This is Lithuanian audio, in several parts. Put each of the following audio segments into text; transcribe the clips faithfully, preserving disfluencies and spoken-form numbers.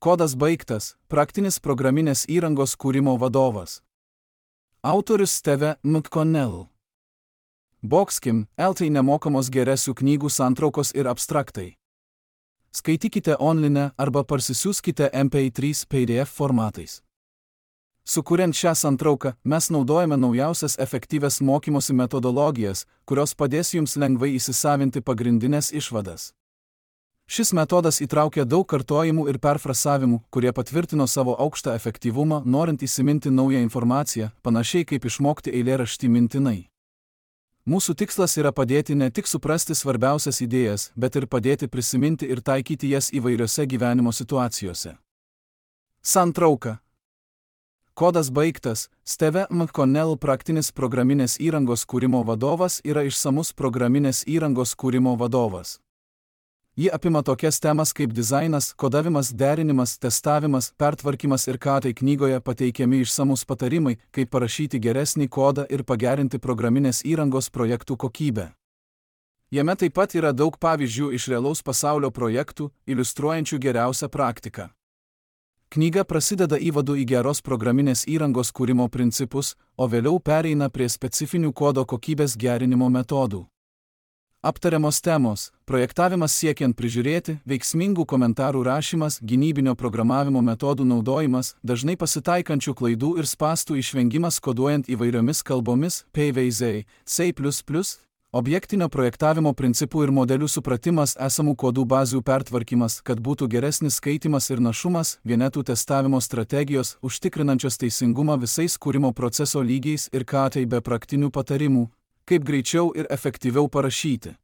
Kodas baigtas. Praktinis programinės įrangos kūrimo vadovas. Autorius Steve McConnell. Boxkim, L T nemokamos geresių knygų santraukos ir abstraktai. Skaitykite online arba parsisiųskite M P trys P D F formatais. Sukuriant šią santrauką, mes naudojame naujausias efektyvias mokymosi metodologijas, kurios padės jums lengvai įsisavinti pagrindinės išvadas. Šis metodas įtraukia daug kartojimų ir perfrasavimų, kurie patvirtino savo aukštą efektyvumą, norint įsiminti naują informaciją, panašiai kaip išmokti eilėraštį mintinai. Mūsų tikslas yra padėti ne tik suprasti svarbiausias idėjas, bet ir padėti prisiminti ir taikyti jas įvairiose gyvenimo situacijose. Santrauka. Kodas baigtas. Steve McConnell praktinis programinės įrangos kūrimo vadovas yra išsamus programinės įrangos kūrimo vadovas. Ji apima tokias temas kaip dizainas, kodavimas, derinimas, testavimas, pertvarkymas ir ką tai knygoje pateikiami išsamus patarimai, kaip parašyti geresnį kodą ir pagerinti programinės įrangos projektų kokybę. Jame taip pat yra daug pavyzdžių iš realaus pasaulio projektų, iliustruojančių geriausią praktiką. Knyga prasideda įvadu į geros programinės įrangos kūrimo principus, o vėliau pereina prie specifinių kodo kokybės gerinimo metodų. Aptariamos temos – projektavimas siekiant prižiūrėti, veiksmingų komentarų rašymas, gynybinio programavimo metodų naudojimas, dažnai pasitaikančių klaidų ir spąstų išvengimas koduojant įvairiomis kalbomis, P V Z, C plus plus, objektinio projektavimo principų ir modelių supratimas, esamų kodų bazių pertvarkymas, kad būtų geresnis skaitimas ir našumas, vienetų testavimo strategijos, užtikrinančios teisingumą visais kūrimo proceso lygiais ir ką tai be praktinių patarimų, kaip greičiau ir efektyviau parašyti.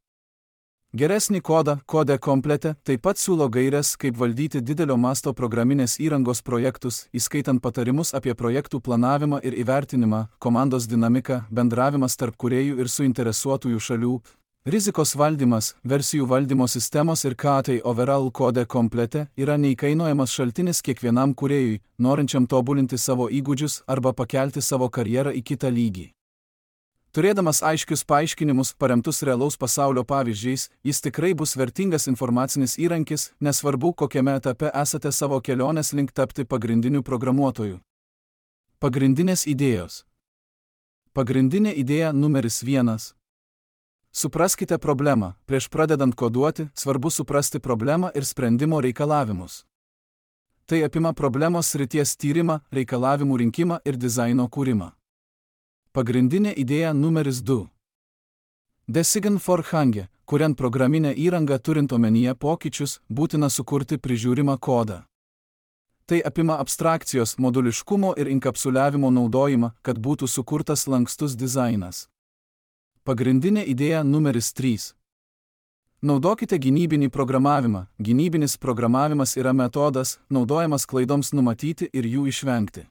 Geresnį kodą, kode komplete, taip pat siūlo gaires, kaip valdyti didelio masto programinės įrangos projektus, įskaitant patarimus apie projektų planavimą ir įvertinimą, komandos dinamiką, bendravimas tarp kūrėjų ir suinteresuotųjų šalių, rizikos valdymas, versijų valdymo sistemos ir ką tai overall kode komplete yra neįkainojamas šaltinis kiekvienam kūrėjui, norinčiam tobulinti savo įgūdžius arba pakelti savo karjerą į kitą lygį. Turėdamas aiškius paaiškinimus paremtus realaus pasaulio pavyzdžiais, jis tikrai bus vertingas informacinis įrankis, nesvarbu, kokiame etape esate savo kelionės link tapti pagrindiniu programuotoju. Pagrindinės idėjos. Pagrindinė idėja numeris vienas. Supraskite problemą. Prieš pradedant koduoti, svarbu suprasti problemą ir sprendimo reikalavimus. Tai apima problemos srities tyrimą, reikalavimų rinkimą ir dizaino kūrimą. Pagrindinė idėja numeris du. Design for Hange, kuriant programinę įrangą turint omenyje pokyčius, būtina sukurti prižiūrimą kodą. Tai apima abstrakcijos, moduliškumo ir inkapsuliavimo naudojimą, kad būtų sukurtas lankstus dizainas. Pagrindinė idėja numeris trys. Naudokite gynybinį programavimą. Gynybinis programavimas yra metodas, naudojamas klaidoms numatyti ir jų išvengti.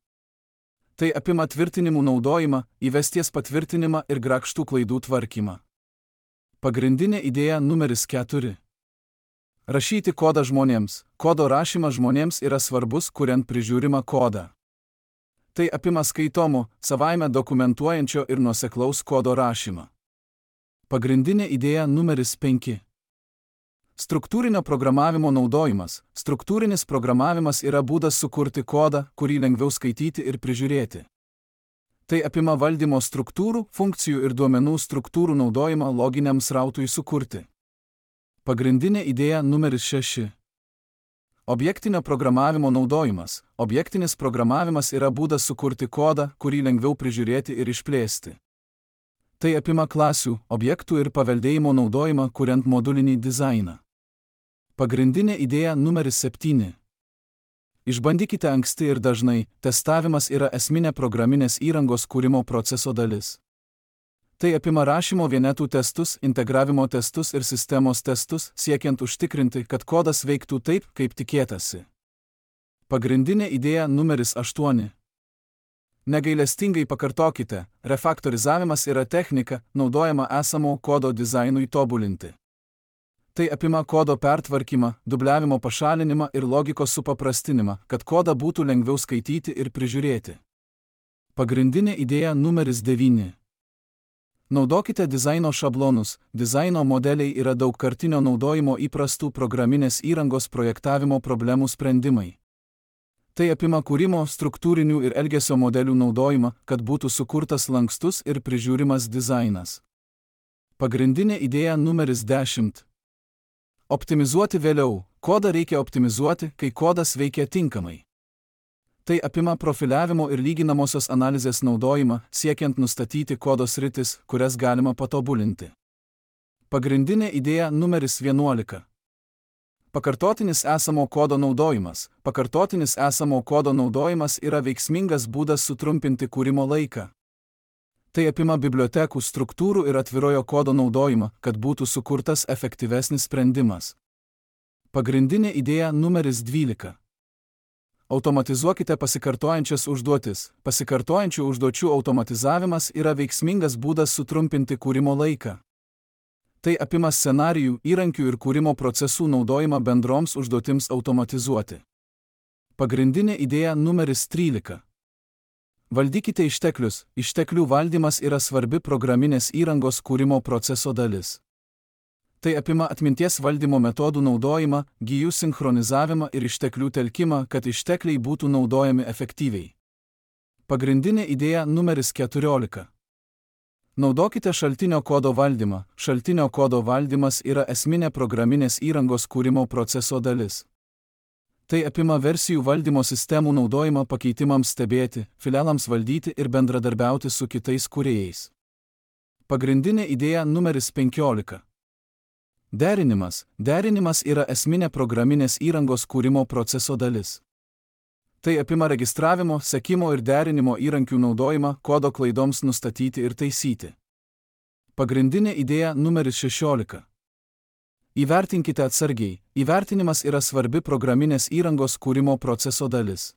Tai apima tvirtinimų naudojimą, įvesties patvirtinimą ir grakštų klaidų tvarkymą. Pagrindinė idėja numeris keturi. Rašyti kodą žmonėms. Kodo rašymas žmonėms yra svarbus, kuriant prižiūrimą kodą. Tai apima skaitomo, savaime dokumentuojančio ir nuoseklaus kodo rašymą. Pagrindinė idėja numeris penki. Struktūrinio programavimo naudojimas. Struktūrinis programavimas yra būdas sukurti kodą, kurį lengviau skaityti ir prižiūrėti. Tai apima valdymo struktūrų, funkcijų ir duomenų struktūrų naudojimą loginiam srautui sukurti. Pagrindinė idėja numeris šeši. Objektinio programavimo naudojimas. Objektinis programavimas yra būdas sukurti kodą, kurį lengviau prižiūrėti ir išplėsti. Tai apima klasių, objektų ir paveldėjimo naudojimą, kuriant modulinį dizainą. Pagrindinė idėja numeris septyni. Išbandykite anksti ir dažnai. Testavimas yra esminė programinės įrangos kūrimo proceso dalis. Tai apima rašymo vienetų testus, integravimo testus ir sistemos testus, siekiant užtikrinti, kad kodas veiktų taip, kaip tikėtasi. Pagrindinė idėja numeris aštuoni. Negailestingai pakartokite. Refaktorizavimas yra technika, naudojama esamo kodo dizainui tobulinti. Tai apima kodo pertvarkymą, dubliavimo pašalinimą ir logikos supaprastinimą, kad kodą būtų lengviau skaityti ir prižiūrėti. Pagrindinė idėja numeris devyni. Naudokite dizaino šablonus. Dizaino modeliai yra daugkartinio naudojimo įprastų programinės įrangos projektavimo problemų sprendimai. Tai apima kūrimo, struktūrinių ir elgesio modelių naudojimą, kad būtų sukurtas lankstus ir prižiūrimas dizainas. Pagrindinė idėja numeris dešimt. Optimizuoti vėliau. Kodą reikia optimizuoti, kai kodas veikia tinkamai. Tai apima profiliavimo ir lyginamosios analizės naudojimą, siekiant nustatyti kodo sritis, kurias galima patobulinti. Pagrindinė idėja numeris vienuolika. Pakartotinis esamo kodo naudojimas. Pakartotinis esamo kodo naudojimas yra veiksmingas būdas sutrumpinti kūrimo laiką. Tai apima bibliotekų, struktūrų ir atvirojo kodo naudojimą, kad būtų sukurtas efektyvesnis sprendimas. Pagrindinė idėja numeris dvylika. Automatizuokite pasikartojančias užduotis. Pasikartojančių užduočių automatizavimas yra veiksmingas būdas sutrumpinti kūrimo laiką. Tai apima scenarijų, įrankių ir kūrimo procesų naudojimą bendroms užduotims automatizuoti. Pagrindinė idėja numeris trylika. Valdykite išteklius. Išteklių valdymas yra svarbi programinės įrangos kūrimo proceso dalis. Tai apima atminties valdymo metodų naudojimą, gijų sinchronizavimą ir išteklių telkimą, kad ištekliai būtų naudojami efektyviai. Pagrindinė idėja numeris keturiolika. Naudokite šaltinio kodo valdymą. Šaltinio kodo valdymas yra esminė programinės įrangos kūrimo proceso dalis. Tai apima versijų valdymo sistemų naudojimą pakeitimams stebėti, filialams valdyti ir bendradarbiauti su kitais kūrėjais. Pagrindinė idėja numeris penkiolika. Derinimas. Derinimas yra esminė programinės įrangos kūrimo proceso dalis. Tai apima registravimo, sekimo ir derinimo įrankių naudojimą kodo klaidoms nustatyti ir taisyti. Pagrindinė idėja numeris šešiolika. Įvertinkite atsargiai. Įvertinimas yra svarbi programinės įrangos kūrimo proceso dalis.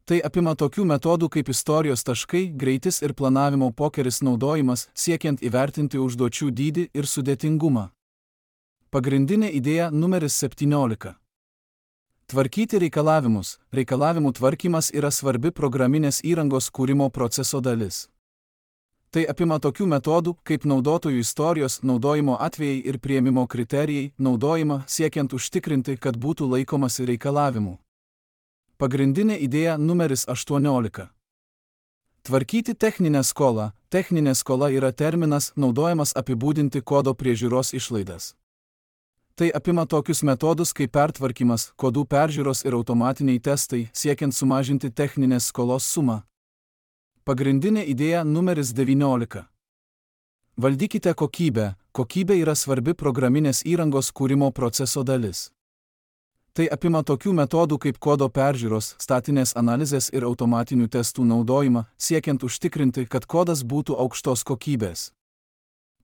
Tai apima tokių metodų kaip istorijos taškai, greitis ir planavimo pokeris naudojimas, siekiant įvertinti užduočių dydį ir sudėtingumą. Pagrindinė idėja numeris septyniolika. Tvarkyti reikalavimus. Reikalavimų tvarkymas yra svarbi programinės įrangos kūrimo proceso dalis. Tai apima tokių metodų, kaip naudotojų istorijos, naudojimo atvejai ir priėmimo kriterijai, naudojimą siekiant užtikrinti, kad būtų laikomasi reikalavimų. Pagrindinė idėja numeris aštuoniolika. Tvarkyti techninę skolą. Techninė skola yra terminas, naudojamas apibūdinti kodo priežiūros išlaidas. Tai apima tokius metodus kaip pertvarkymas, kodų peržiūros ir automatiniai testai, siekiant sumažinti techninės skolos sumą. Pagrindinė idėja numeris devyniolika. Valdykite kokybę. Kokybė yra svarbi programinės įrangos kūrimo proceso dalis. Tai apima tokių metodų kaip kodo peržiūros, statinės analizės ir automatinių testų naudojimą, siekiant užtikrinti, kad kodas būtų aukštos kokybės.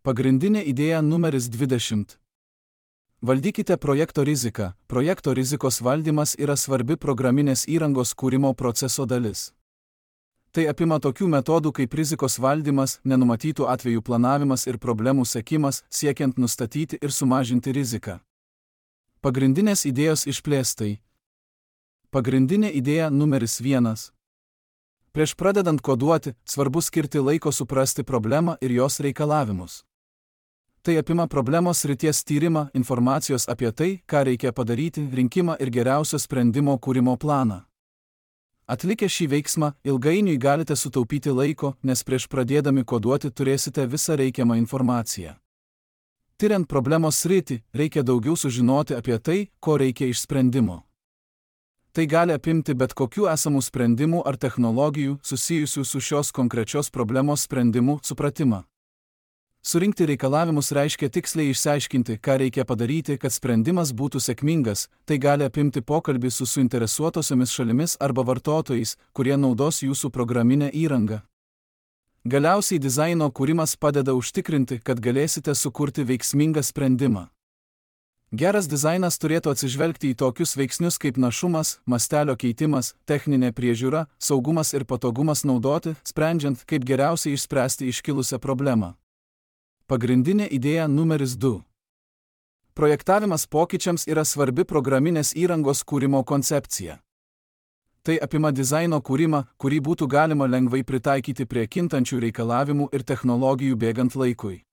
Pagrindinė idėja numeris dvidešimt. Valdykite projekto riziką. Projekto rizikos valdymas yra svarbi programinės įrangos kūrimo proceso dalis. Tai apima tokių metodų kaip rizikos valdymas, nenumatytų atvejų planavimas ir problemų sekimas, siekiant nustatyti ir sumažinti riziką. Pagrindinės idėjos išplėstai. Pagrindinė idėja numeris vienas. Prieš pradedant koduoti, svarbu skirti laiko suprasti problemą ir jos reikalavimus. Tai apima problemos srities tyrimą, informacijos apie tai, ką reikia padaryti, rinkimą ir geriausio sprendimo kūrimo planą. Atlikę šį veiksmą, ilgainiui galite sutaupyti laiko, nes prieš pradėdami koduoti turėsite visą reikiamą informaciją. Tiriant problemos sritį, reikia daugiau sužinoti apie tai, ko reikia iš sprendimo. Tai gali apimti bet kokių esamų sprendimų ar technologijų susijusių su šios konkrečios problemos sprendimu supratimą. Surinkti reikalavimus reiškia tiksliai išsiaiškinti, ką reikia padaryti, kad sprendimas būtų sėkmingas. Tai gali apimti pokalbį su suinteresuotosiomis šalimis arba vartotojais, kurie naudos jūsų programinę įrangą. Galiausiai dizaino kūrimas padeda užtikrinti, kad galėsite sukurti veiksmingą sprendimą. Geras dizainas turėtų atsižvelgti į tokius veiksnius kaip našumas, mastelio keitimas, techninė priežiūra, saugumas ir patogumas naudoti, sprendžiant, kaip geriausiai išspręsti iškilusią problemą. Pagrindinė idėja numeris du. Projektavimas pokyčiams yra svarbi programinės įrangos kūrimo koncepcija. Tai apima dizaino kūrimą, kurį būtų galima lengvai pritaikyti prie kintančių reikalavimų ir technologijų bėgant laikui.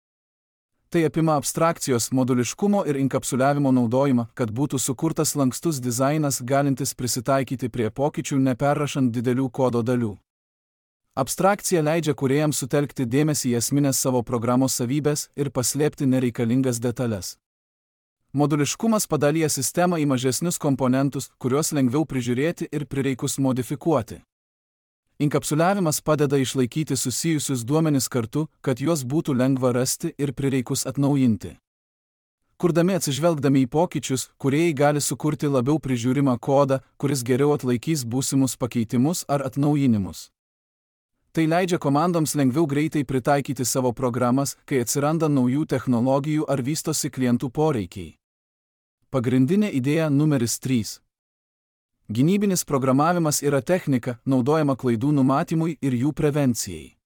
Tai apima abstrakcijos, moduliškumo ir inkapsuliavimo naudojimą, kad būtų sukurtas lankstus dizainas galintis prisitaikyti prie pokyčių neperrašant didelių kodo dalių. Abstrakcija leidžia kūrėjams sutelkti dėmesį į esminės savo programos savybės ir paslėpti nereikalingas detalės. Moduliškumas padalyja sistemą į mažesnius komponentus, kuriuos lengviau prižiūrėti ir prireikus modifikuoti. Inkapsuliavimas padeda išlaikyti susijusius duomenis kartu, kad juos būtų lengva rasti ir prireikus atnaujinti. Kurdami atsižvelgdami į pokyčius, kūrėjai gali sukurti labiau prižiūrimą kodą, kuris geriau atlaikys būsimus pakeitimus ar atnaujinimus. Tai leidžia komandoms lengviau greitai pritaikyti savo programas, kai atsiranda naujų technologijų ar vystosi klientų poreikiai. Pagrindinė idėja numeris trys. Gynybinis programavimas yra technika, naudojama klaidų numatymui ir jų prevencijai.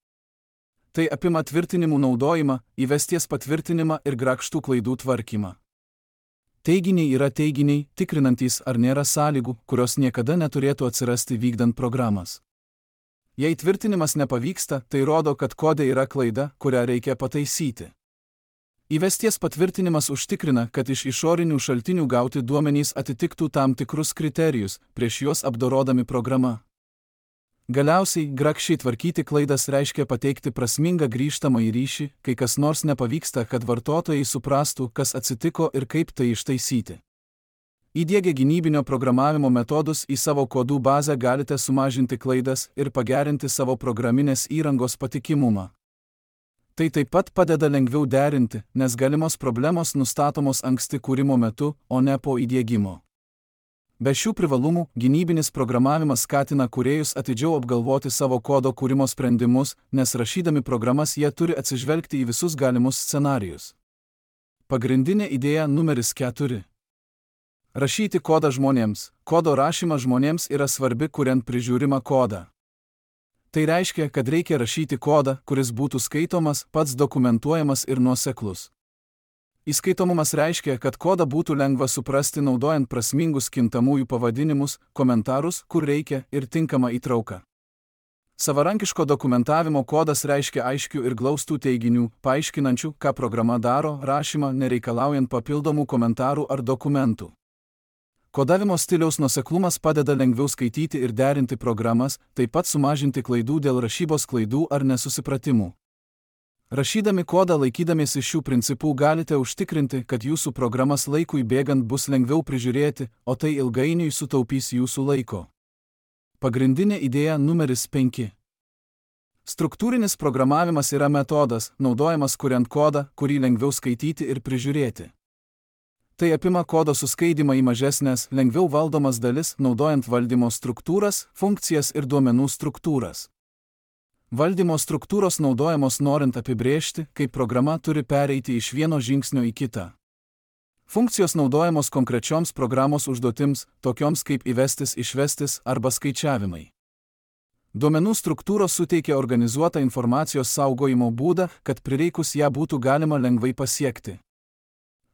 Tai apima tvirtinimų naudojimą, įvesties patvirtinimą ir grakštų klaidų tvarkymą. Teiginiai yra teiginiai, tikrinantys, ar nėra sąlygų, kurios niekada neturėtų atsirasti vykdant programas. Jei tvirtinimas nepavyksta, tai rodo, kad kode yra klaida, kurią reikia pataisyti. Įvesties patvirtinimas užtikrina, kad iš išorinių šaltinių gauti duomenys atitiktų tam tikrus kriterijus, prieš juos apdorodami programą. Galiausiai, grakščiai tvarkyti klaidas reiškia pateikti prasmingą grįžtamąjį ryšį, kai kas nors nepavyksta, kad vartotojai suprastų, kas atsitiko ir kaip tai ištaisyti. Įdiegę gynybinio programavimo metodus į savo kodų bazę galite sumažinti klaidas ir pagerinti savo programinės įrangos patikimumą. Tai taip pat padeda lengviau derinti, nes galimos problemos nustatomos anksti kūrimo metu, o ne po įdiegimo. Be šių privalumų, gynybinis programavimas skatina kūrėjus atidžiau apgalvoti savo kodo kūrimo sprendimus, nes rašydami programas jie turi atsižvelgti į visus galimus scenarijus. Pagrindinė idėja numeris keturi. Rašyti kodą žmonėms. Kodo rašymas žmonėms yra svarbi, kuriant prižiūrimą kodą. Tai reiškia, kad reikia rašyti kodą, kuris būtų skaitomas, pats dokumentuojamas ir nuoseklus. Įskaitomumas reiškia, kad kodą būtų lengva suprasti naudojant prasmingus kintamųjų pavadinimus, komentarus, kur reikia, ir tinkamą įtrauką. Savarankiško dokumentavimo kodas reiškia aiškių ir glaustų teiginių, paaiškinančių, ką programa daro, rašymą nereikalaujant papildomų komentarų ar dokumentų. Kodavimo stiliaus nuoseklumas padeda lengviau skaityti ir derinti programas, taip pat sumažinti klaidų dėl rašybos klaidų ar nesusipratimų. Rašydami kodą laikydamiesi šių principų galite užtikrinti, kad jūsų programas laikui bėgant bus lengviau prižiūrėti, o tai ilgainiui sutaupys jūsų laiko. Pagrindinė idėja numeris penki. Struktūrinis programavimas yra metodas, naudojamas kuriant kodą, kurį lengviau skaityti ir prižiūrėti. Tai apima kodo suskaidymą į mažesnės, lengviau valdomas dalis, naudojant valdymo struktūras, funkcijas ir duomenų struktūras. Valdymo struktūros naudojamos norint apibrėžti, kaip programa turi pereiti iš vieno žingsnio į kitą. Funkcijos naudojamos konkrečioms programos užduotims, tokioms kaip įvestis, išvestis arba skaičiavimai. Duomenų struktūros suteikia organizuotą informacijos saugojimo būdą, kad prireikus ją būtų galima lengvai pasiekti.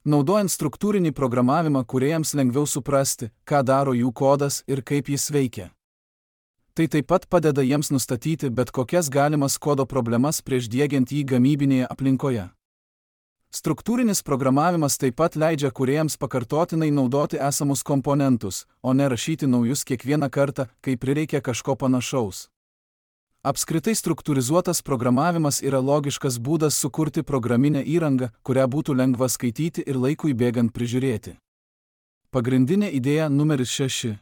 Naudojant struktūrinį programavimą kūrėjams lengviau suprasti, ką daro jų kodas ir kaip jis veikia. Tai taip pat padeda jiems nustatyti bet kokias galimas kodo problemas prieš diegiant jį gamybinėje aplinkoje. Struktūrinis programavimas taip pat leidžia kūrėjams pakartotinai naudoti esamus komponentus, o ne rašyti naujus kiekvieną kartą, kai prireikia kažko panašaus. Apskritai struktūrizuotas programavimas yra logiškas būdas sukurti programinę įrangą, kurią būtų lengva skaityti ir laikui bėgant prižiūrėti. Pagrindinė idėja numeris šeši.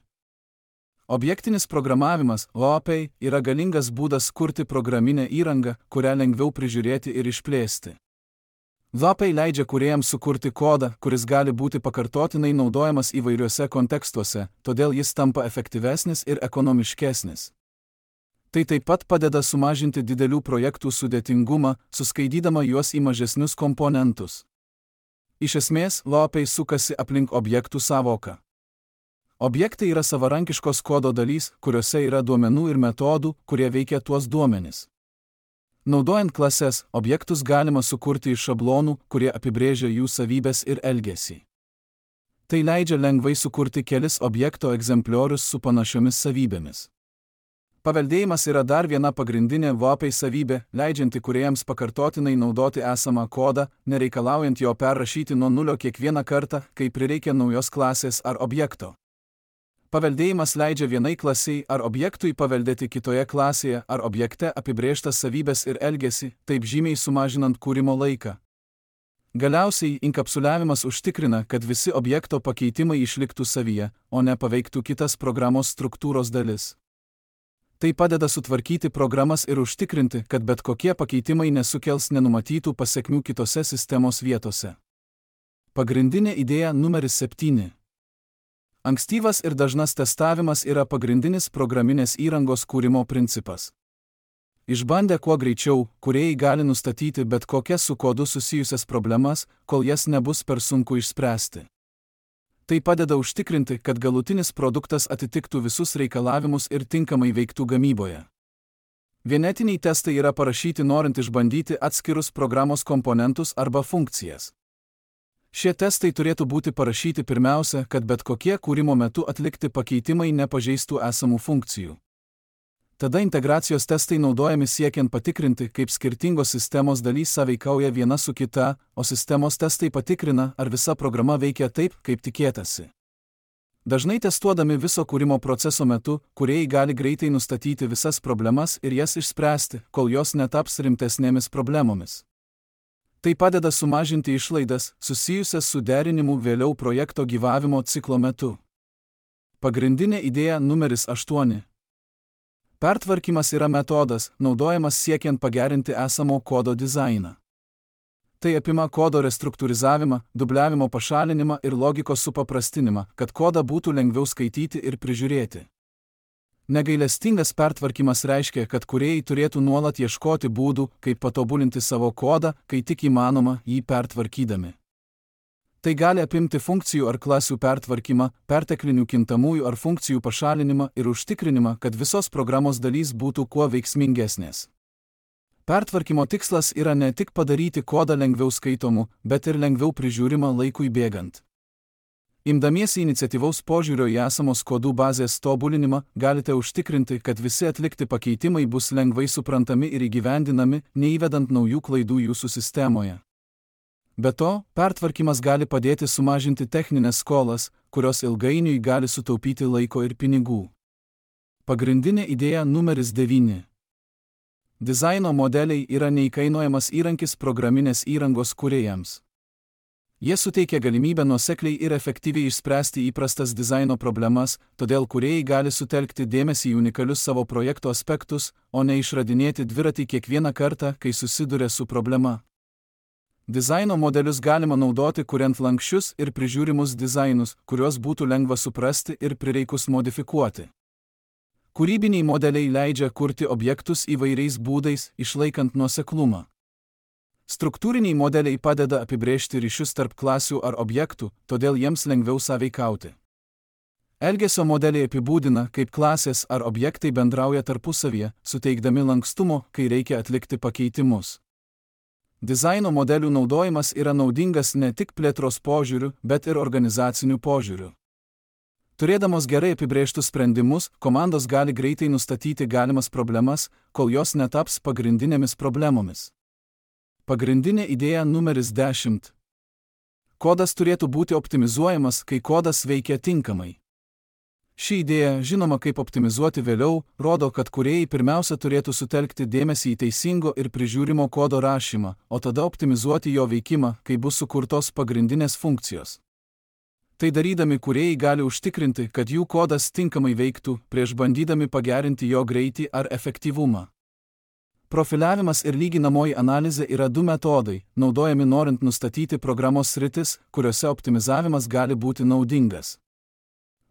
Objektinis programavimas, O O P, yra galingas būdas kurti programinę įrangą, kurią lengviau prižiūrėti ir išplėsti. O O P leidžia kūrėjams sukurti kodą, kuris gali būti pakartotinai naudojamas įvairiuose kontekstuose, todėl jis tampa efektyvesnis ir ekonomiškesnis. Tai taip pat padeda sumažinti didelių projektų sudėtingumą, suskaidydama juos į mažesnius komponentus. Iš esmės, O O P sukasi aplink objektų sąvoką. Objektai yra savarankiškos kodo dalys, kuriuose yra duomenų ir metodų, kurie veikia tuos duomenis. Naudojant klases, objektus galima sukurti iš šablonų, kurie apibrėžia jų savybes ir elgesį. Tai leidžia lengvai sukurti kelis objekto egzempliorius su panašiomis savybėmis. Paveldėjimas yra dar viena pagrindinė V A P savybė, leidžianti kūrėjams pakartotinai naudoti esamą kodą, nereikalaujant jo perrašyti nuo nulio kiekvieną kartą, kai prireikia naujos klasės ar objekto. Paveldėjimas leidžia vienai klasiai ar objektui paveldėti kitoje klasėje ar objekte apibrėžtas savybės ir elgesį, taip žymiai sumažinant kūrimo laiką. Galiausiai, inkapsuliavimas užtikrina, kad visi objekto pakeitimai išliktų savyje, o ne paveiktų kitas programos struktūros dalis. Tai padeda sutvarkyti programas ir užtikrinti, kad bet kokie pakeitimai nesukels nenumatytų pasekmių kitose sistemos vietose. Pagrindinė idėja numeris septyni. Ankstyvas ir dažnas testavimas yra pagrindinis programinės įrangos kūrimo principas. Išbandę kuo greičiau, kūrėjai gali nustatyti bet kokias su kodu susijusias problemas, kol jas nebus per sunku išspręsti. Tai padeda užtikrinti, kad galutinis produktas atitiktų visus reikalavimus ir tinkamai veiktų gamyboje. Vienetiniai testai yra parašyti norint išbandyti atskirus programos komponentus arba funkcijas. Šie testai turėtų būti parašyti pirmiausia, kad bet kokie kūrimo metu atlikti pakeitimai nepažeistų esamų funkcijų. Tada integracijos testai naudojami siekiant patikrinti, kaip skirtingos sistemos dalys sąveikauja viena su kita, o sistemos testai patikrina, ar visa programa veikia taip, kaip tikėtasi. Dažnai testuodami viso kūrimo proceso metu, kūrėjai gali greitai nustatyti visas problemas ir jas išspręsti, kol jos netaps rimtesnėmis problemomis. Tai padeda sumažinti išlaidas, susijusias su derinimu vėliau projekto gyvavimo ciklo metu. Pagrindinė idėja numeris aštuoni. Pertvarkymas yra metodas, naudojamas siekiant pagerinti esamo kodo dizainą. Tai apima kodo restruktūrizavimą, dubliavimo pašalinimą ir logikos supaprastinimą, kad kodą būtų lengviau skaityti ir prižiūrėti. Negailestingas pertvarkymas reiškia, kad kūrėjai turėtų nuolat ieškoti būdų, kaip patobulinti savo kodą, kai tik įmanoma, jį pertvarkydami. Tai gali apimti funkcijų ar klasių pertvarkymą, perteklinių kintamųjų ar funkcijų pašalinimą ir užtikrinimą, kad visos programos dalys būtų kuo veiksmingesnės. Pertvarkymo tikslas yra ne tik padaryti kodą lengviau skaitomų, bet ir lengviau prižiūrimą laikui bėgant. Imdamiesi iniciatyvaus požiūrio į esamos kodų bazės tobulinimą, galite užtikrinti, kad visi atlikti pakeitimai bus lengvai suprantami ir įgyvendinami, neįvedant naujų klaidų jūsų sistemoje. Be to, pertvarkymas gali padėti sumažinti techninės skolas, kurios ilgainiui gali sutaupyti laiko ir pinigų. Pagrindinė idėja numeris devyni. Dizaino modeliai yra neįkainojamas įrankis programinės įrangos kūrėjams. Jie suteikia galimybę nuosekliai ir efektyviai išspręsti įprastas dizaino problemas, todėl kūrėjai gali sutelkti dėmesį į unikalius savo projekto aspektus, o ne išradinėti dviratį kiekvieną kartą, kai susiduria su problema. Dizaino modelius galima naudoti kuriant lanksčius ir prižiūrimus dizainus, kuriuos būtų lengva suprasti ir prireikus modifikuoti. Kūrybiniai modeliai leidžia kurti objektus įvairiais būdais, išlaikant nuoseklumą. Struktūriniai modeliai padeda apibrėžti ryšius tarp klasių ar objektų, todėl jiems lengviau sąveikauti. Elgesio modeliai apibūdina, kaip klasės ar objektai bendrauja tarpusavyje, suteikdami lankstumo, kai reikia atlikti pakeitimus. Dizaino modelių naudojimas yra naudingas ne tik plėtros požiūriu, bet ir organizaciniu požiūriu. Turėdamos gerai apibrėžtus sprendimus, komandos gali greitai nustatyti galimas problemas, kol jos netaps pagrindinėmis problemomis. Pagrindinė idėja numeris dešimt. Kodas turėtų būti optimizuojamas, kai kodas veikia tinkamai. Ši idėja, žinoma kaip optimizuoti vėliau, rodo, kad kūrėjai pirmiausia turėtų sutelkti dėmesį į teisingo ir prižiūrimo kodo rašymą, o tada optimizuoti jo veikimą, kai bus sukurtos pagrindinės funkcijos. Tai darydami kūrėjai gali užtikrinti, kad jų kodas tinkamai veiktų, prieš bandydami pagerinti jo greitį ar efektyvumą. Profiliavimas ir lyginamoji analizė yra du metodai, naudojami norint nustatyti programos sritis, kuriuose optimizavimas gali būti naudingas.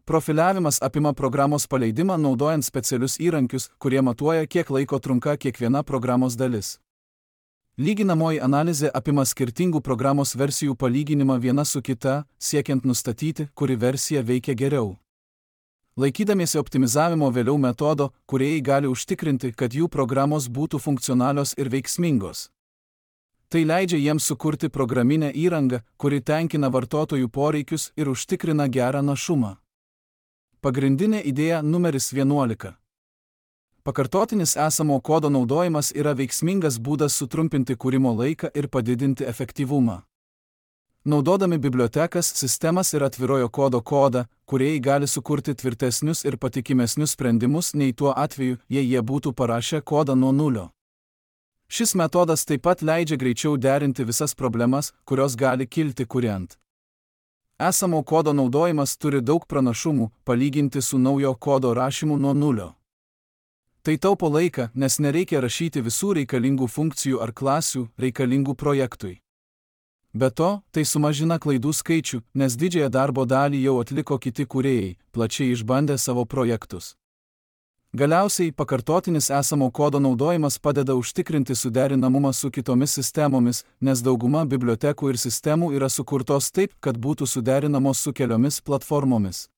Profiliavimas apima programos paleidimą naudojant specialius įrankius, kurie matuoja, kiek laiko trunka kiekviena programos dalis. Lyginamoji analizė apima skirtingų programos versijų palyginimą viena su kita, siekiant nustatyti, kuri versija veikia geriau. Laikydamiesi optimizavimo vėliau metodo, kūrėjai gali užtikrinti, kad jų programos būtų funkcionalios ir veiksmingos. Tai leidžia jiems sukurti programinę įrangą, kuri tenkina vartotojų poreikius ir užtikrina gerą našumą. Pagrindinė idėja numeris vienuolika. Pakartotinis esamo kodo naudojimas yra veiksmingas būdas sutrumpinti kūrimo laiką ir padidinti efektyvumą. Naudodami bibliotekas, sistemas ir atvirojo kodo kodą, kūrėjai gali sukurti tvirtesnius ir patikimesnius sprendimus nei tuo atveju, jei jie būtų parašę kodą nuo nulio. Šis metodas taip pat leidžia greičiau derinti visas problemas, kurios gali kilti kuriant. Esamo kodo naudojimas turi daug pranašumų, palyginti su naujo kodo rašymu nuo nulio. Tai taupo laiką, nes nereikia rašyti visų reikalingų funkcijų ar klasių reikalingų projektui. Be to, tai sumažina klaidų skaičių, nes didžiąją darbo dalį jau atliko kiti kūrėjai, plačiai išbandę savo projektus. Galiausiai, pakartotinis esamo kodo naudojimas padeda užtikrinti suderinamumą su kitomis sistemomis, nes dauguma bibliotekų ir sistemų yra sukurtos taip, kad būtų suderinamos su keliomis platformomis.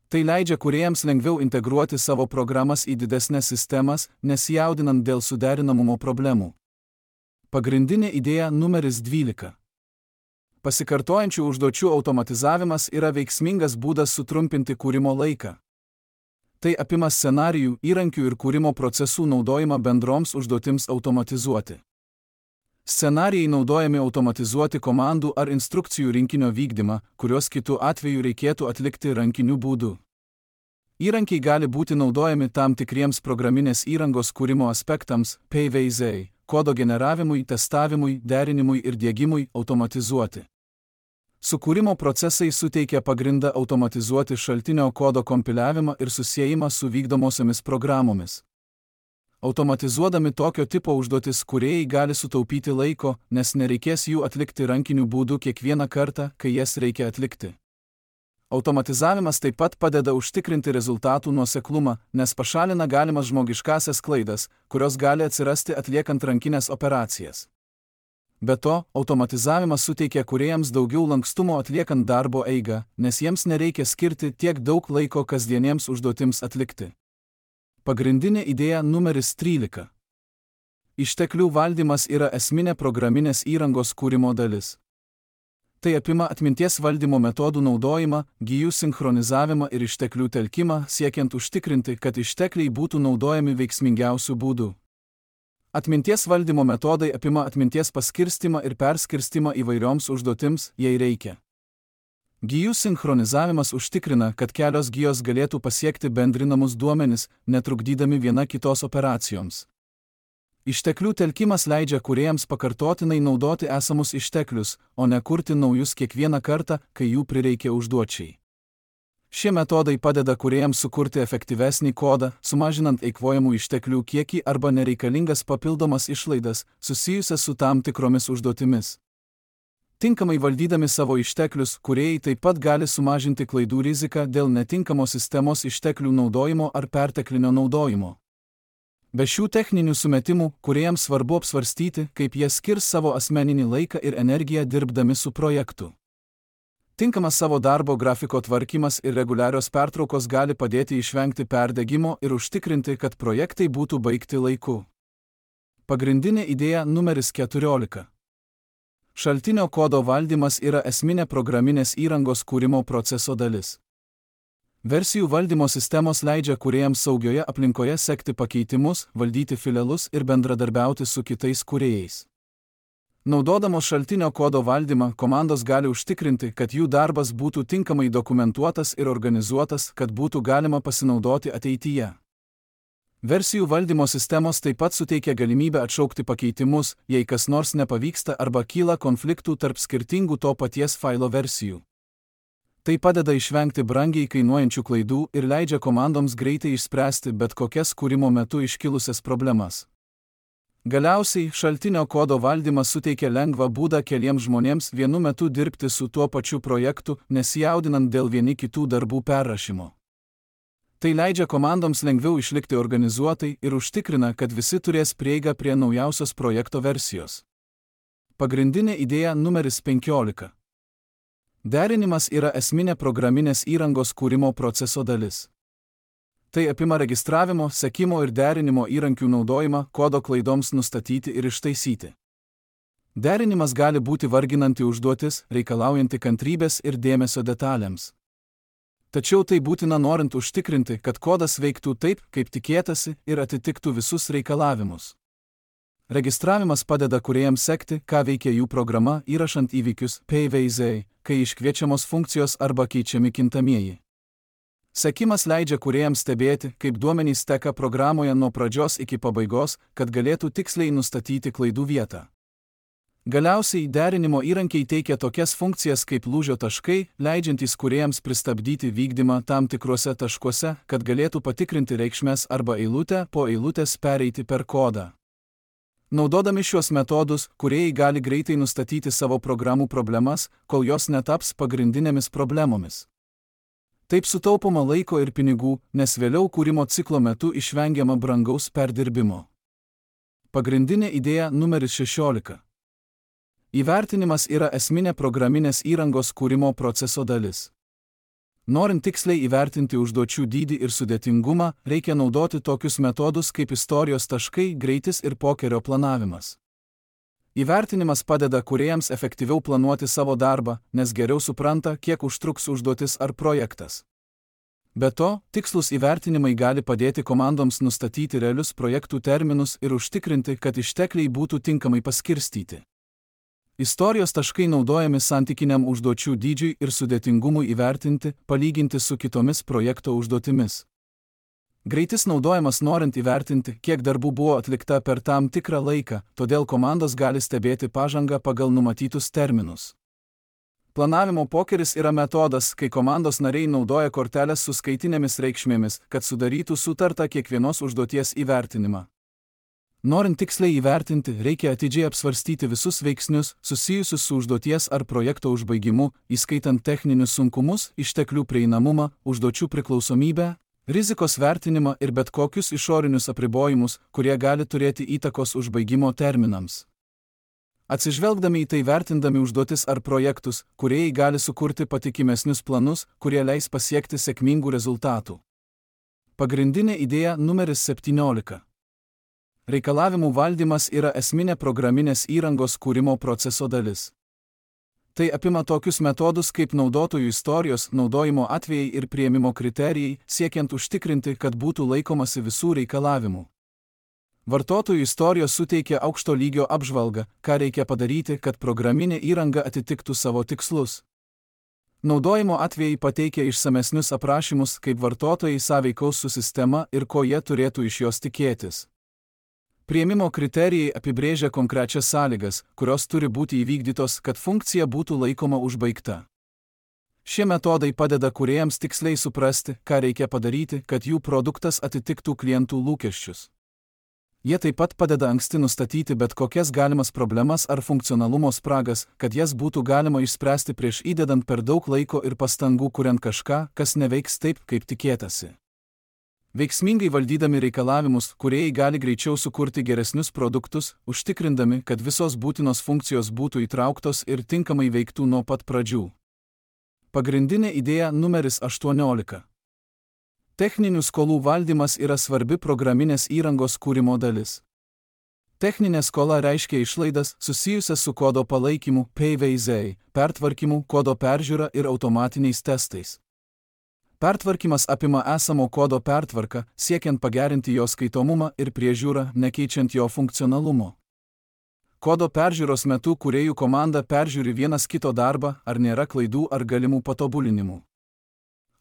Tai leidžia kūrėjams lengviau integruoti savo programas į didesnes sistemas, nesijaudinant dėl suderinamumo problemų. Pagrindinė idėja numeris dvylika. Pasikartojančių užduočių automatizavimas yra veiksmingas būdas sutrumpinti kūrimo laiką. Tai apima scenarijų, įrankių ir kūrimo procesų naudojimą bendroms užduotims automatizuoti. Scenarijai naudojami automatizuoti komandų ar instrukcijų rinkinio vykdymą, kuriuos kitu atveju reikėtų atlikti rankiniu būdu. Įrankiai gali būti naudojami tam tikriems programinės įrangos kūrimo aspektams, P V Z, kodo generavimui, testavimui, derinimui ir diegimui automatizuoti. Sukūrimo procesai suteikia pagrindą automatizuoti šaltinio kodo kompiliavimą ir susiejimą su vykdomosiomis programomis. Automatizuodami tokio tipo užduotis kūrėjai gali sutaupyti laiko, nes nereikės jų atlikti rankiniu būdu kiekvieną kartą, kai jas reikia atlikti. Automatizavimas taip pat padeda užtikrinti rezultatų nuoseklumą, nes pašalina galimas žmogiškąsias klaidas, kurios gali atsirasti atliekant rankinės operacijas. Be to, automatizavimas suteikia kūrėjams daugiau lankstumo atliekant darbo eigą, nes jiems nereikia skirti tiek daug laiko kasdieniems užduotims atlikti. Pagrindinė idėja numeris trylika. Išteklių valdymas yra esminė programinės įrangos kūrimo dalis. Tai apima atminties valdymo metodų naudojimą, gijų sinchronizavimą ir išteklių telkimą, siekiant užtikrinti, kad ištekliai būtų naudojami veiksmingiausių būdų. Atminties valdymo metodai apima atminties paskirstimą ir perskirstimą įvairioms užduotims, jei reikia. Gijų sinchronizavimas užtikrina, kad kelios gijos galėtų pasiekti bendrinamus duomenis, netrukdydami viena kitos operacijoms. Išteklių telkimas leidžia kūrėjams pakartotinai naudoti esamus išteklius, o ne kurti naujus kiekvieną kartą, kai jų prireikia užduočiai. Šie metodai padeda kūrėjams sukurti efektyvesnį kodą, sumažinant eikvojamų išteklių kiekį arba nereikalingas papildomas išlaidas, susijusias su tam tikromis užduotimis. Tinkamai valdydami savo išteklius, kūrėjai taip pat gali sumažinti klaidų riziką dėl netinkamo sistemos išteklių naudojimo ar perteklinio naudojimo. Be šių techninių sumetimų, kūrėjams svarbu apsvarstyti, kaip jie skirs savo asmeninį laiką ir energiją dirbdami su projektu. Tinkamas savo darbo grafiko tvarkymas ir reguliarios pertraukos gali padėti išvengti perdegimo ir užtikrinti, kad projektai būtų baigti laiku. Pagrindinė idėja numeris keturiolika. Šaltinio kodo valdymas yra esminė programinės įrangos kūrimo proceso dalis. Versijų valdymo sistemos leidžia kūrėjams saugioje aplinkoje sekti pakeitimus, valdyti filelus ir bendradarbiauti su kitais kūrėjais. Naudodamos šaltinio kodo valdymą, komandos gali užtikrinti, kad jų darbas būtų tinkamai dokumentuotas ir organizuotas, kad būtų galima pasinaudoti ateityje. Versijų valdymo sistemos taip pat suteikia galimybę atšaukti pakeitimus, jei kas nors nepavyksta arba kyla konfliktų tarp skirtingų to paties failo versijų. Tai padeda išvengti brangiai kainuojančių klaidų ir leidžia komandoms greitai išspręsti bet kokias kūrimo metu iškilusias problemas. Galiausiai, šaltinio kodo valdymas suteikia lengvą būdą keliems žmonėms vienu metu dirbti su tuo pačiu projektu, nesijaudinant dėl vieni kitų darbų perrašymo. Tai leidžia komandoms lengviau išlikti organizuotai ir užtikrina, kad visi turės prieigą prie naujausios projekto versijos. Pagrindinė idėja numeris penkiolika. Derinimas yra esminė programinės įrangos kūrimo proceso dalis. Tai apima registravimo, sekimo ir derinimo įrankių naudojimą kodo klaidoms nustatyti ir ištaisyti. Derinimas gali būti varginanti užduotis, reikalaujanti kantrybės ir dėmesio detalėms. Tačiau tai būtina norint užtikrinti, kad kodas veiktų taip, kaip tikėtasi ir atitiktų visus reikalavimus. Registravimas padeda kūrėjams sekti, ką veikia jų programa, įrašant įvykius P V Z, kai iškviečiamos funkcijos arba keičiami kintamieji. Sekimas leidžia kūrėjams stebėti, kaip duomenys teka programoje nuo pradžios iki pabaigos, kad galėtų tiksliai nustatyti klaidų vietą. Galiausiai derinimo įrankiai teikia tokias funkcijas kaip lūžio taškai, leidžiantys kūrėjams pristabdyti vykdymą tam tikruose taškuose, kad galėtų patikrinti reikšmes arba eilutę po eilutės pereiti per kodą. Naudodami šiuos metodus, kūrėjai gali greitai nustatyti savo programų problemas, kol jos netaps pagrindinėmis problemomis. Taip sutaupoma laiko ir pinigų, nes vėliau kūrimo ciklo metu išvengiama brangaus perdirbimo. Pagrindinė idėja numeris šešiolika. Įvertinimas yra esminė programinės įrangos kūrimo proceso dalis. Norint tiksliai įvertinti užduočių dydį ir sudėtingumą, reikia naudoti tokius metodus kaip istorijos taškai, greitis ir pokerio planavimas. Įvertinimas padeda kūrėjams efektyviau planuoti savo darbą, nes geriau supranta, kiek užtruks užduotis ar projektas. Be to, tikslus įvertinimai gali padėti komandoms nustatyti realius projektų terminus ir užtikrinti, kad ištekliai būtų tinkamai paskirstyti. Istorijos taškai naudojami santykiniam užduočių dydžiui ir sudėtingumui įvertinti, palyginti su kitomis projekto užduotimis. Greitis naudojamas norint įvertinti, kiek darbų buvo atlikta per tam tikrą laiką, todėl komandos gali stebėti pažangą pagal numatytus terminus. Planavimo pokeris yra metodas, kai komandos nariai naudoja korteles su skaitinėmis reikšmėmis, kad sudarytų sutartą kiekvienos užduoties įvertinimą. Norint tiksliai įvertinti, reikia atidžiai apsvarstyti visus veiksnius, susijusius su užduoties ar projekto užbaigimu, įskaitant techninius sunkumus, išteklių prieinamumą, užduočių priklausomybę, rizikos vertinimą ir bet kokius išorinius apribojimus, kurie gali turėti įtakos užbaigimo terminams. Atsižvelgdami į tai vertindami užduotis ar projektus, kūrėjai gali sukurti patikimesnius planus, kurie leis pasiekti sėkmingų rezultatų. Pagrindinė idėja numeris septyniolika. Reikalavimų valdymas yra esminė programinės įrangos kūrimo proceso dalis. Tai apima tokius metodus kaip naudotojų istorijos, naudojimo atvejai ir priėmimo kriterijai, siekiant užtikrinti, kad būtų laikomasi visų reikalavimų. Vartotojų istorijos suteikia aukšto lygio apžvalgą, ką reikia padaryti, kad programinė įranga atitiktų savo tikslus. Naudojimo atvejai pateikia išsamesnius aprašymus, kaip vartotojai sąveikaus su sistema ir ko jie turėtų iš jos tikėtis. Priėmimo kriterijai apibrėžia konkrečias sąlygas, kurios turi būti įvykdytos, kad funkcija būtų laikoma užbaigta. Šie metodai padeda kūrėjams tiksliai suprasti, ką reikia padaryti, kad jų produktas atitiktų klientų lūkesčius. Jie taip pat padeda anksti nustatyti bet kokias galimas problemas ar funkcionalumo spragas, kad jas būtų galima išspręsti prieš įdedant per daug laiko ir pastangų kuriant kažką, kas neveiks taip, kaip tikėtasi. Veiksmingai valdydami reikalavimus, kūrėjai gali greičiau sukurti geresnius produktus, užtikrindami, kad visos būtinos funkcijos būtų įtrauktos ir tinkamai veiktų nuo pat pradžių. Pagrindinė idėja numeris aštuoniolika. Techninių skolų valdymas yra svarbi programinės įrangos kūrimo dalis. Techninė skola reiškia išlaidas susijusias su kodo palaikymu, P V Z, pertvarkymu, kodo peržiūra ir automatiniais testais. Pertvarkymas apima esamo kodo pertvarką, siekiant pagerinti jo skaitomumą ir priežiūrą, nekeičiant jo funkcionalumo. Kodo peržiūros metu kūrėjų komanda peržiūri vienas kito darbą, ar nėra klaidų ar galimų patobulinimų.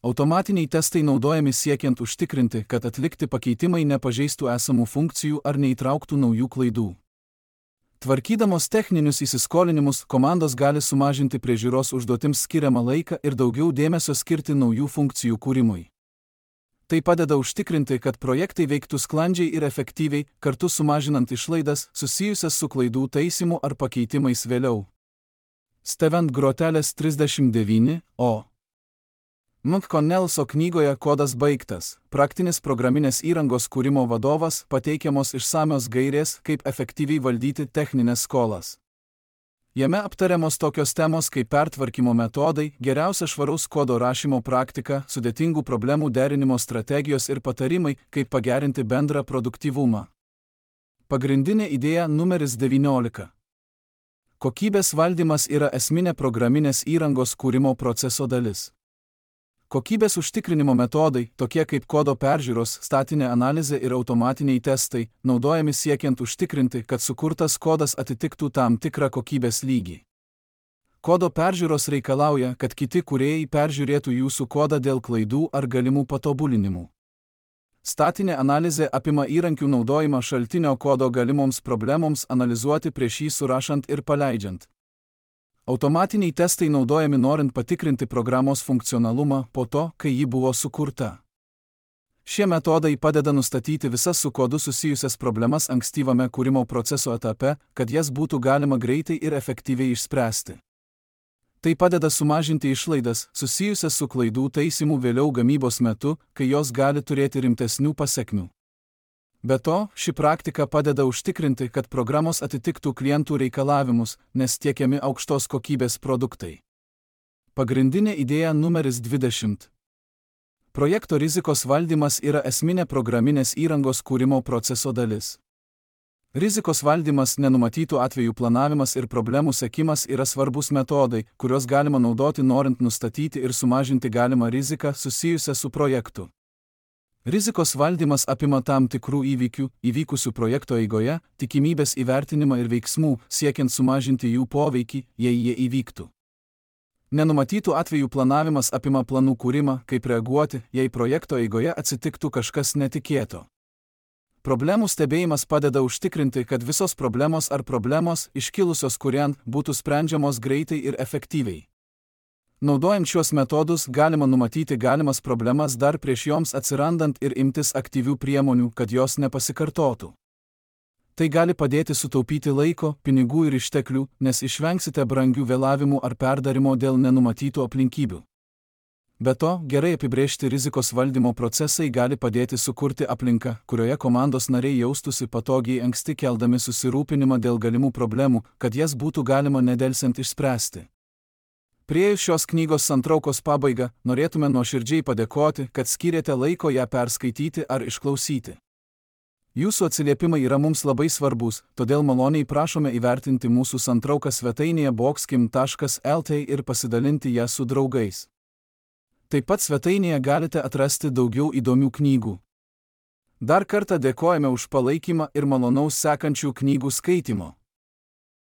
Automatiniai testai naudojami siekiant užtikrinti, kad atlikti pakeitimai nepažeistų esamų funkcijų ar neįtrauktų naujų klaidų. Tvarkydamos techninius įsiskolinimus, komandos gali sumažinti priežiūros užduotims skiriamą laiką ir daugiau dėmesio skirti naujų funkcijų kūrimui. Tai padeda užtikrinti, kad projektai veiktų sklandžiai ir efektyviai, kartu sumažinant išlaidas susijusias su klaidų taisymu ar pakeitimais vėliau. Steven Groteles trisdešimt devyni, o. McConnellso knygoje Kodas baigtas. Praktinis programinės įrangos kūrimo vadovas pateikiamos išsamios gairės, kaip efektyviai valdyti techninės skolas. Jame aptariamos tokios temos kaip pertvarkymo metodai, geriausia švaraus kodo rašymo praktika, sudėtingų problemų derinimo strategijos ir patarimai, kaip pagerinti bendrą produktyvumą. Pagrindinė idėja numeris devyniolika. Kokybės valdymas yra esminė programinės įrangos kūrimo proceso dalis. Kokybės užtikrinimo metodai, tokie kaip kodo peržiūros, statinė analizė ir automatiniai testai, naudojami siekiant užtikrinti, kad sukurtas kodas atitiktų tam tikrą kokybės lygį. Kodo peržiūros reikalauja, kad kiti kūrėjai peržiūrėtų jūsų kodą dėl klaidų ar galimų patobulinimų. Statinė analizė apima įrankių naudojimą šaltinio kodo galimoms problemoms analizuoti prieš jį surašant ir paleidžiant. Automatiniai testai naudojami norint patikrinti programos funkcionalumą po to, kai ji buvo sukurta. Šie metodai padeda nustatyti visas su kodu susijusias problemas ankstyvame kūrimo proceso etape, kad jas būtų galima greitai ir efektyviai išspręsti. Tai padeda sumažinti išlaidas, susijusias su klaidų taisymu vėliau gamybos metu, kai jos gali turėti rimtesnių pasekmių. Be to, ši praktika padeda užtikrinti, kad programos atitiktų klientų reikalavimus, nes tiekiami aukštos kokybės produktai. Pagrindinė idėja numeris dvidešimt. Projekto rizikos valdymas yra esminė programinės įrangos kūrimo proceso dalis. Rizikos valdymas, nenumatytų atvejų planavimas ir problemų sekimas yra svarbus metodai, kuriuos galima naudoti norint nustatyti ir sumažinti galimą riziką susijusią su projektu. Rizikos valdymas apima tam tikrų įvykių, įvykusių projekto eigoje, tikimybės įvertinimą ir veiksmų, siekiant sumažinti jų poveikį, jei jie įvyktų. Nenumatytų atvejų planavimas apima planų kūrimą, kaip reaguoti, jei projekto eigoje atsitiktų kažkas netikėto. Problemų stebėjimas padeda užtikrinti, kad visos problemos ar problemos, iškilusios kuriant, būtų sprendžiamos greitai ir efektyviai. Naudojant šios metodus galima numatyti galimas problemas dar prieš joms atsirandant ir imtis aktyvių priemonių, kad jos nepasikartotų. Tai gali padėti sutaupyti laiko, pinigų ir išteklių, nes išvengsite brangių vėlavimų ar perdarimo dėl nenumatytų aplinkybių. Be to, gerai apibrėžti rizikos valdymo procesai gali padėti sukurti aplinką, kurioje komandos nariai jaustųsi patogiai anksti keldami susirūpinimą dėl galimų problemų, kad jas būtų galima nedelsiant išspręsti. Priėjus šios knygos santraukos pabaigą, norėtume nuoširdžiai padėkoti, kad skyrėte laiko ją perskaityti ar išklausyti. Jūsų atsiliepimai yra mums labai svarbus, todėl maloniai prašome įvertinti mūsų santrauką svetainėje boxkim taškas lt ir pasidalinti ją su draugais. Taip pat svetainėje galite atrasti daugiau įdomių knygų. Dar kartą dėkojame už palaikymą ir malonaus sekančių knygų skaitimo.